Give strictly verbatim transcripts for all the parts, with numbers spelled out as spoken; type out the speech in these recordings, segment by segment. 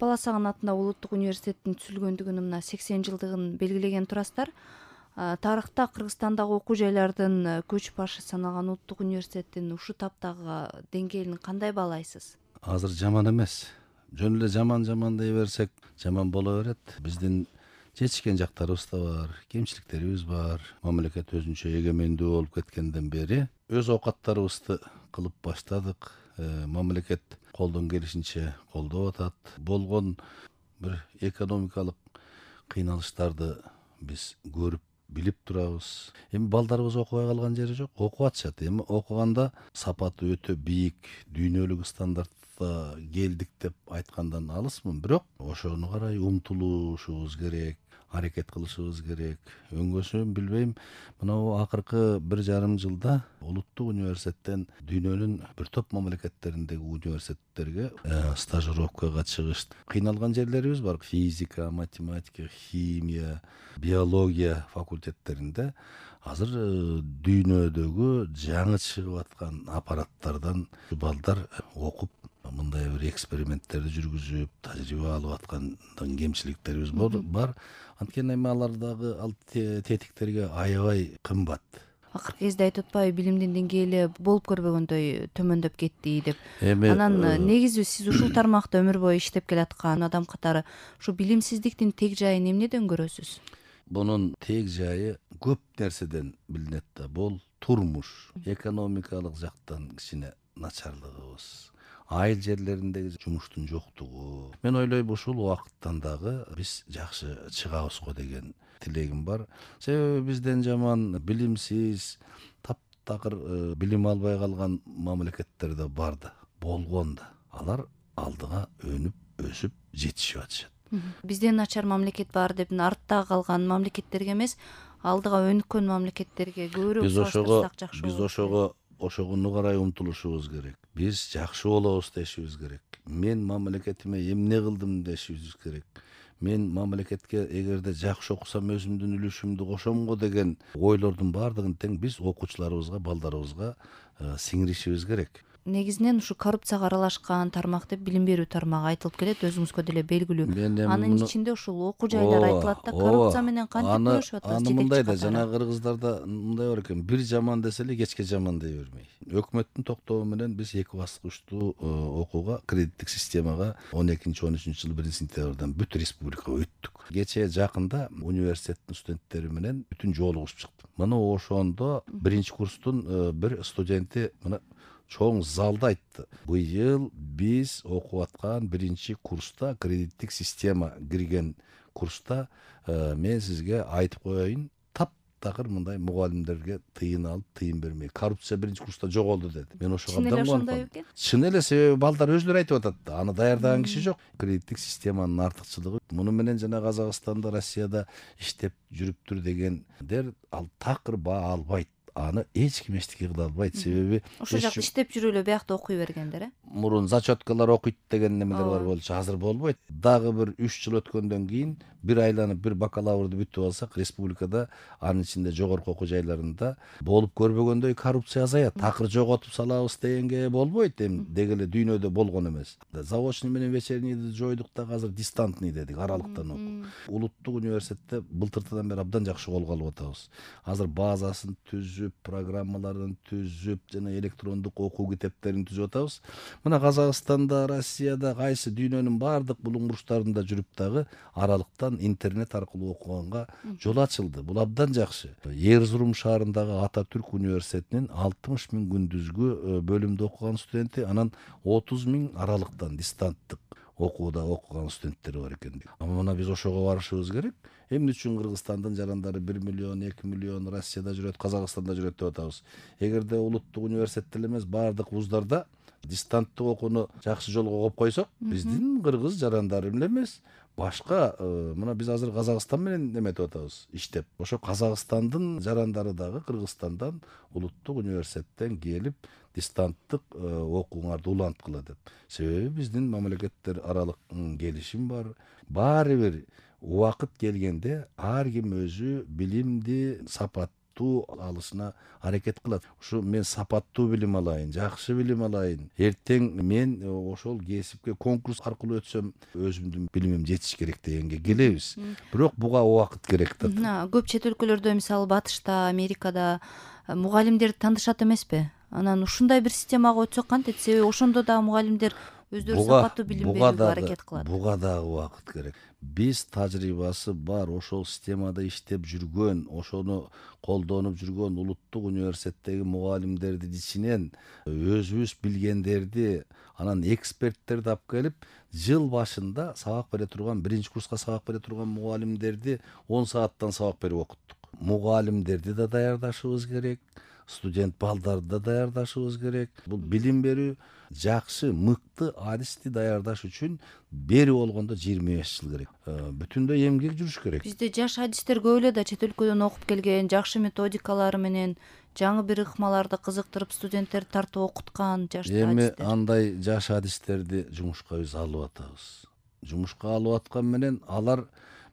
Баласагын атындагы улуттук университеттин түзүлгөндүгүнүн мына сексен жылдыгын белгилеген турасыздар. Тарыхта Кыргызстандагы окуу жайлардын көч башы саналган улуттук университеттин ушул таптагы деңгээлин кандай баалайсыз? Азыр жаман эмес. Жөн эле жаман жаман дей берсек, жаман боло берет. Биздин жетишкен жактарыбыз да бар, кемчиликтерибиз бар. Мамлекет өзүнчө эгемендүү болуп кеткенден бери өз оокаттарыбызды кылып баштадык. Мамлекет колдон келишинче колдоп атат. Болгон бир экономикалык кыйналыштарды биз көрүп билип турабыз. Эми балдарыбыз окубай калган жери жок, окуп атышат. Эми окуганда сапаты өтө бийик, дүйнөлүк стандартта келдик деп айткандан алысмын, бирок ошону карай умтулушубуз керек, аракет кылышыбыз керек. Өңгөсүн билбейм, мына акыркы бир жарым жылда улуттук университеттен дүйнөнүн бир топ мамлекеттериндеги университеттерге стажировкага чыгыш. Кыйналган жерлерибиз бар. Физика, математика, химия, биология факультеттеринде азыр дүйнөдөгү жаңы чыгып аткан аппараттардан балдар окуп, мындай бир эксперименттерди жүргүзүп, тажрыйба алып аткандын кемчиликтерибиз бар. Анткени эми алардагы ал тетиктерге аябай кымбат. Акыркы кезде айтып атпайбы, билимдин деңгээли болуп көрбөгөндөй төмөндөп кетти деп. Анан негизи сиз ушул тармакта өмүр бою иштеп келаткан адам катары ушу билимсиздиктин тег жайын эмнеден көрөсүз? Бунун тег жайы көп нерседен билинет да, бул турмуш, экономикалык жактан кичине начарлыгыбыз, айыл жерлериндеги жумуштун жоктугу. Мен ойлойм, ушул убакыттан дагы биз жакшы чыгабызго деген тилегим бар. Себеби бизден жаман билимсиз, таптакыр билим албай калган мамлекеттер да бар да, болгон да. Алар алдыга өнүп, өсүп жетишип атышат. Бизден начар мамлекет бар деп артта калган мамлекеттерге эмес, алдыга өнүккөн мамлекеттерге көбүрөөк салыштырсак жакшы болот. Биз ошого ошогуну карай умтулушубуз керек. Биз жакшы болобуз дешибиз керек. Мен мамлекетиме эмне кылдым дешибиз керек. Мен мамлекетке эгерде жакшы окусам өзүмдүн үлүшүмдү кошом го деген ойлордун баардыгын тең биз окуучуларыбызга, балдарыбызга сиңиришибиз керек. Негизинен ушу коррупцияга аралашкан тармак деп билим берүү тармагы айтылып келет, өзүңүзгө деле белгилүү. Анын ичинде ушул окуу жайлар айтылат да, коррупция менен кантип күрөшүп атабыз? Аны мындай да, жана кыргыздарда мындай бар экен, бир жаман десе эле кечке жаман дей бермей. Өкмөттүн токтоому менен биз эки баскычтуу окууга, кредиттик системага он экинчи он үчүнчү жылы биринчи сентябрдан бүт республикага өттүк. Кечээ жакында университеттин студенттери менен бүтүн жолугушуп чыктым. Мына ошондо биринчи курстун бир студенти мына чоң залда айтты. Быйыл биз окуп аткан биринчи курста, кредиттик система кирген курста мен сизге айтып коеюн, таптакыр мындай мугалимдерге тыйын алып, тыйын бермей, коррупция биринчи курста жоголду деди. Мен ошого абдан кубандым. Чын эле, себеби балдар өзүлөрү айтып атат да, аны даярдаган киши жок. Кредиттик системанын артыкчылыгы муну менен жана Казакстанда, Россияда иштеп жүрүптүр дегендер ал такыр баа албайт. Аны эч ким эчтеке кыла албайт. Себеби ошол жакта иштеп жүрүп эле биякта окуй бергендер, э? Мурун зачеткалар окуйт деген немелер бар болчу, азыр болбойт. Дагы бир үч жыл өткөндөн кийин бир айланып бир бакалаврды бүтүп алсак, республикада, анын ичинде жогорку окуу жайларында болуп көрбөгөндөй коррупция азаят. Такыр жоготуп салабыз дегенге болбойт. Эми деги эле дүйнөдө болгон эмес. Заочный менен вечернийди жойдук да, азыр дистантный дедик, аралыктан окуу. Улуттук университетте былтыртадан бери абдан жакшы колго алып атабыз. Азыр базасын түзүп, программаларын түзүп, жана электрондук окуу китептерин түзүп атабыз. Мына Казакстанда, Россияда, кайсы дүйнөнүн баардык булуң бурчтарында жүрүп дагы аралыктан интернет аркылуу окуганга жол ачылды. Бул абдан жакшы. Эрзурум шаарындагы Ататүрк университетинин алтымыш миң күндүзгү бөлүмдө окуган студенти, анан отуз миң аралыктан дистанттык окууда окуган студенттер бар экен. Мына биз ошого барышыбыз керек. Эмне үчүн Кыргызстандын жарандары бир миллион, эки миллион Россияда жүрөт, Казакстанда жүрөт деп атабыз. Эгерде улуттук университетте эмес, баардык вуздарда дистанттык окууну жакшы жолго коюп койсок, биздин кыргыз жарандары эле эмес, башка мына биз азыр Казакстан менен эметип атабыз, иштеп. Ошо Казакстандын жарандары дагы Кыргызстандан улуттук университеттен келип дистанттык окууңарды уланткыла деп. Себеби биздин мамлекеттер аралык келишим бар. Баары бир убакыт келгенде ар ким өзү билимди, сапатты сапаттуу алышына аракет кылат. Ушу мен сапаттуу билим алайын, жакшы билим алайын, эртең мен ошол кесипке конкурс аркылуу өтсөм өзүмдүн билимим жетиш керек дегенге келебиз. Бирок буга убакыт керек да. Көп чет өлкөлөрдө, мисалы Батышта, Америкада мугалимдерди таанышат эмеспи? Анан ушундай бир системага өтсөк кантет? Себеби ошондо да мугалимдер өздөрү сапаттуу билим берүүгө аракет кылат. Буга дагы убакыт керек. Биз тажрыйбасы бар, ошол системада иштеп жүргөн, ошону колдонуп жүргөн улуттук университеттеги мугалимдердин ичинен өзүбүз билгендерди, анан эксперттерди алып келип, жыл башында сабак бере турган, биринчи курска сабак бере турган мугалимдерди он сааттан сабак берип окуттук. Мугалимдерди да даярдашыбыз керек, студент балдарды да даярдашыбыз керек. Бул билим берүү жакшы, мыкты адисти даярдаш үчүн бери болгондо жыйырма беш жыл керек. Бүтүндөй эмгек жүрүш керек. Бизде жаш адистер көп эле да, чет өлкөдөн окуп келген, жакшы методикалары менен жаңы бир ыкмаларды кызыктырып студенттерди тартып окуткан жаш адистер. Эми андай жаш адистерди жумушка биз алып атабыз. Жумушка алып аткан менен алар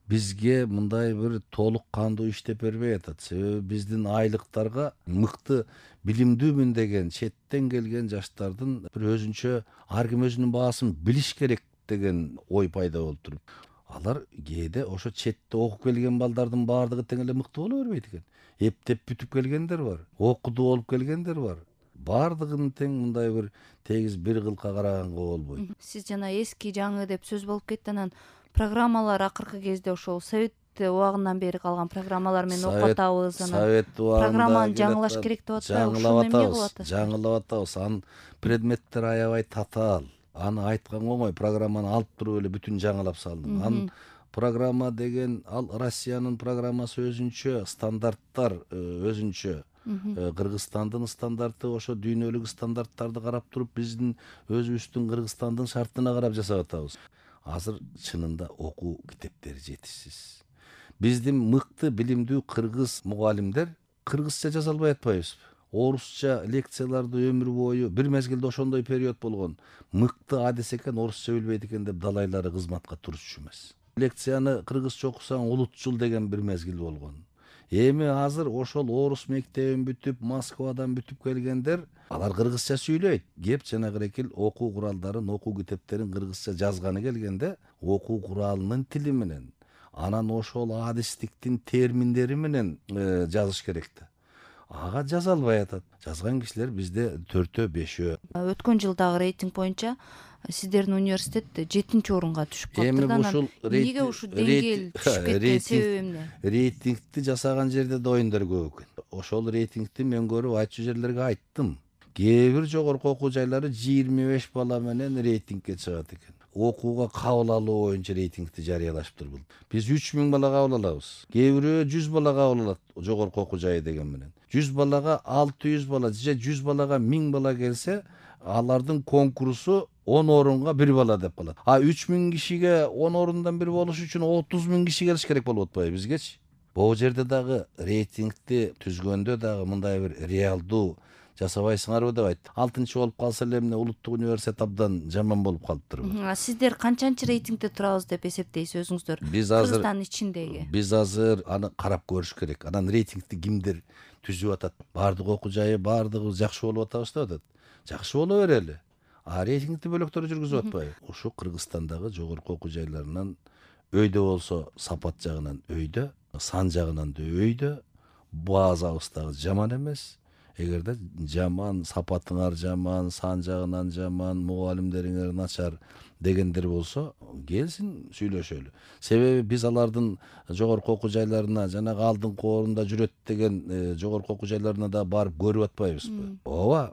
бизге мындай бир толук кандуу иштеп бербей атат. Себеби биздин айлыктарга мыкты билимдүүмүн деген четтен келген жаштардын бир өзүнчө ар ким өзүнүн баасын билиш керек деген ой пайда болуп туруп, алар кээде ошо четте окуп келген балдардын баардыгы тең эле мыкты боло бербейт экен. Эптеп бүтүп келгендер бар, окутуу болуп келгендер бар. Баардыгын тең мындай бир тегиз бир кылка караганга болбойт. Сиз жана эски жаңы деп сөз болуп кетти. Анан программалар акыркы кезде ошол совет убагынан бери калган программалар менен окуп атабыз. Анан Совет убагында программаны жаңылаш керек деп атпайбы? Ушуну эмне кылып атасыз? Жаңылап атабыз. Анын предметтер аябай татаал. Аны айткан оңой, программаны алып туруп эле бүтүн жаңылап салдым. Анын программа деген ал Россиянын программасы өзүнчө, стандарттар өзүнчө. Кыргызстандын стандарты ошо дүйнөлүк стандарттарды карап туруп биздин өзүбүздүн Кыргызстандын шартына карап жасап атабыз. Азыр чынында окуу китептери жетишсиз. Биздин мыкты билимдүү кыргыз мугалимдер кыргызча жаза албай атпайбызбы? Орусча лекцияларды өмүр бою бир мезгилде ошондой период болгон. Мыкты адис экен, орусча билбейт экен деп далайлары кызматка турушчу эмес. Лекцияны кыргызча окусаң улутчул деген бир мезгил болгон. Эми азыр ошол орус мектебин бүтүп, Москвадан бүтүп келгендер, алар кыргызча сүйлөйт. Кеп жана кырекил окуу куралдарын, окуу китептерин кыргызча жазганы келгенде, окуу куралынын тили менен, анан ошол адистиктин терминдери менен жазыш керек да. Ага жаза албай атат. Жазган кишилер бизде төртөө, бешөө. Өткөн жылдагы рейтинг боюнча сиздердин университет жетинчи орунга түшүп калыптыр. Анан эмнеге ушул деңгээл түшүп кеткен себеби эмне? Рейтингти жасаган жерде да оюндар көп экен. Ошол рейтингти мен көрүп айтчу жерлерге айттым. Кээ бир жогорку окуу жайлары жыйырма беш бала менен рейтингке чыгат экен. Окууга кабыл алуу боюнча рейтингти жарыялашыптыр бул. Биз үч миң бала кабыл алабыз. Кээ бирөө жүз бала кабыл алат жогорку окуу жайы деген менен. жүз балага алты жүз бала же жүз балага миң бала келсе, алардын конкурсу он орунга бир бала деп калат. А үч миң кишиге он орундан бир болуш үчүн отуз миң киши келиш керек болуп атпайбы бизгечи? Бул жерде дагы рейтингти түзгөндө дагы мындай бир реалдуу жасабайсыңарбы деп айтты. алтынчы болуп калса эле эмне улуттук университет абдан жаман болуп калыптырбы? Сиздер канчанчы рейтингде турабыз деп эсептейсиз өзүңүздөр? Биз азыр Кыргызстандын ичиндеги. Биз азыр аны карап көрүш керек. Анан рейтингти кимдер түзүп атат? Баардык окуу жайы баардыгы жакшы болуп атабыз деп атат. Жакшы боло берели. А рейтингти бөлөктөр жүргүзүп атпайбы? Ушу Кыргызстандагы жогорку окуу жайларынан өйдө болсо сапат жагынан өйдө, сан жагынан да өйдө, базабыз дагы жаман эмес. Эгерде жаман, сапатыңар жаман, сан жагынан жаман, мугалимдериңер начар дегендер болсо, келсин сүйлөшөлү. Себеби биз алардын жогорку окуу жайларына, жанагы алдыңкы орунда жүрөт деген жогорку окуу жайларына да барып көрүп атпайбызбы? Ооба,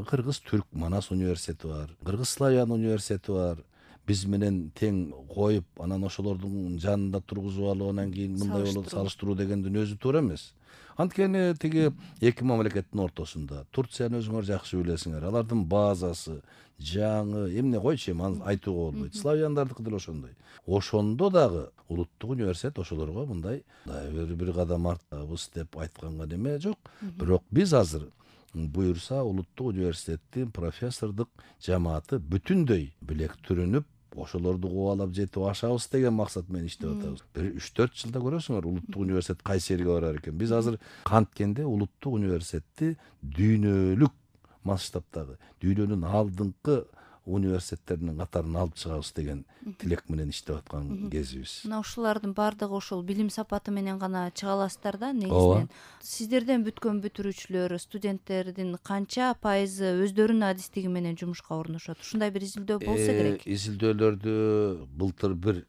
Кыргыз Түрк Манас университети бар, Кыргыз Славян университети бар. Биз менен тең коюп, анан ошолордун жанында тургузуп алып, анан кийин мындай болот салыштыруу дегендин өзү туура эмес. Анткени тиги эки мамлекеттин ортосунда, Турцияны өзүңөр жакшы билесиңер, алардын базасы жаңы, эмне койчу эми аны айтууга болбойт. Славяндардыкы деле ошондой. Ошондо дагы улуттук университет ошолорго мындай бир бир кадам артабыз деп айтканга неме жок. Бирок биз азыр буюрса улуттук университеттин профессордук жамааты бүтүндөй билектүрүнүп, ошолорду кубалап жетип ашабыз деген максат менен иштеп атабыз. Бир үч төрт жылда көрөсүңөр улуттук университет кайсы жерге барар экен. Биз азыр канткенде улуттук университетти дүйнөлүк масштабтагы, дүйнөнүн алдыңкы университеттеринин катарына алып чыгабыз деген тилек менен иштеп аткан кезибиз. Мына ушулардын баардыгы ошол билим сапаты менен гана чыга аласыздар да негизинен. Сиздерден бүткөн бүтүрүүчүлөр, студенттердин канча пайызы өздөрүнүн адистиги менен жумушка орношот? Ушундай бир изилдөө болсо керек. Изилдөөлөрдү былтыр бир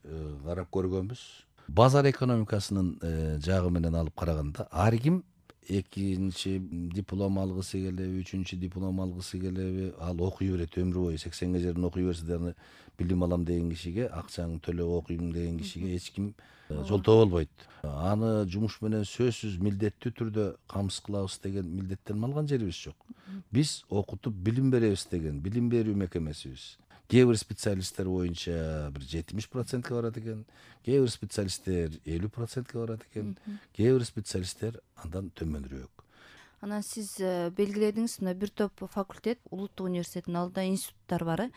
карап көргөнбүз. Базар экономикасынын жагы менен алып караганда ар ким экинчи диплом алгысы келеби, үчүнчү диплом алгысы келеби, ал окуй берет өмүр бою. сексенге чейин окуй берсе дагы билим алам деген кишиге, акчаңды төлөп окуйм деген кишиге эч ким жолтоо болбойт. Аны жумуш менен сөзсүз милдеттүү түрдө камсыз кылабыз деген милдеттенме алган жерибиз жок. Биз окутуп билим беребиз деген билим берүү мекемесибиз. Кээ бир специалисттер боюнча бир жетимиш процентке барат экен, кээ бир специалисттер элүү процентке барат экен, кээ бир специалисттер андан төмөнүрөөк. Анан сиз белгиледиңиз, мына бир топ факультет улуттук университеттин алдында институттар бар.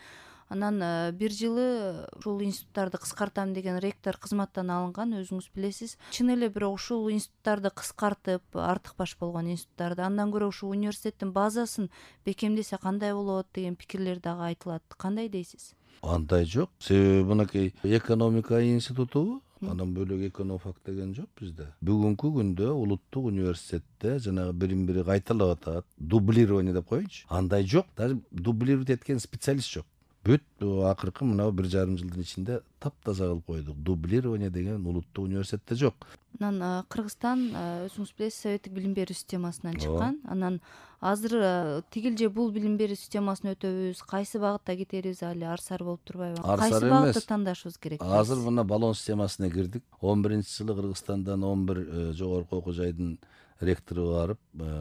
Анан бир жылы ушул институттарды кыскартам деген ректор кызматтан алынган, өзүңүз билесиз. Чын эле бирок ушул институттарды кыскартып, артык баш болгон институттарды андан көрө ушул университеттин базасын бекемдесе кандай болот деген пикирлер дагы айтылат. Кандай дейсиз? Андай жок. Себеби мынакей экономика институту, андан бөлөк эконофак деген жок бизде. Бүгүнкү күндө улуттук университетте жанагы бирин-бири кайталап атат, дублирование деп коеюнчу. Андай жок. Даже дублировать эткен специалист жок. Бүт акыркы мына бир жарым жылдын ичинде таптаза кылып койдук. Дублирование деген улуттук университетте жок. Анан Кыргызстан, өзүңүз билесиз, советтик билим берүү системасынан чыккан. Анан азыр тигил же бул билим берүү системасын өтөбүз, кайсы багытта кетерибиз али арсар болуп турбайбы? Кайсы багытты тандашыбыз керек? Азыр мына баллон системасына кирдик. он биринчи жылы Кыргызстандан он бир жогорку окуу жайдын ректору барып,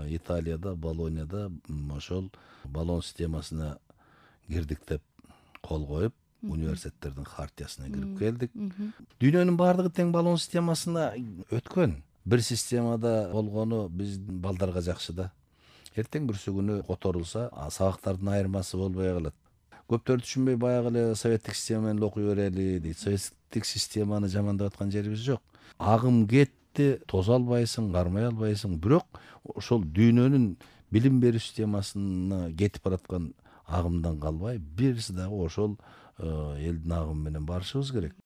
Италияда, Болонияда ошол баллон системасына кирдик деп кол коюп, университеттердин хартиясына кирип келдик. Дүйнөнүн баардыгы тең баллон системасына өткөн. Бир системада болгону биздин балдарга жакшы да. Эртең бүрсү күнү которулса, сабактардын айырмасы болбой калат. Көптөр түшүнбөй баягы эле советтик система менен окуй берели дейт. Советтик системаны жамандап аткан жерибиз жок. Агым кетти, тозо албайсың, кармай албайсың. Бирок ошол дүйнөнүн билим берүү системасына кетип бараткан агымдан калбай, бирisi дагы ошол элдин агымы менен барышыбыз керек.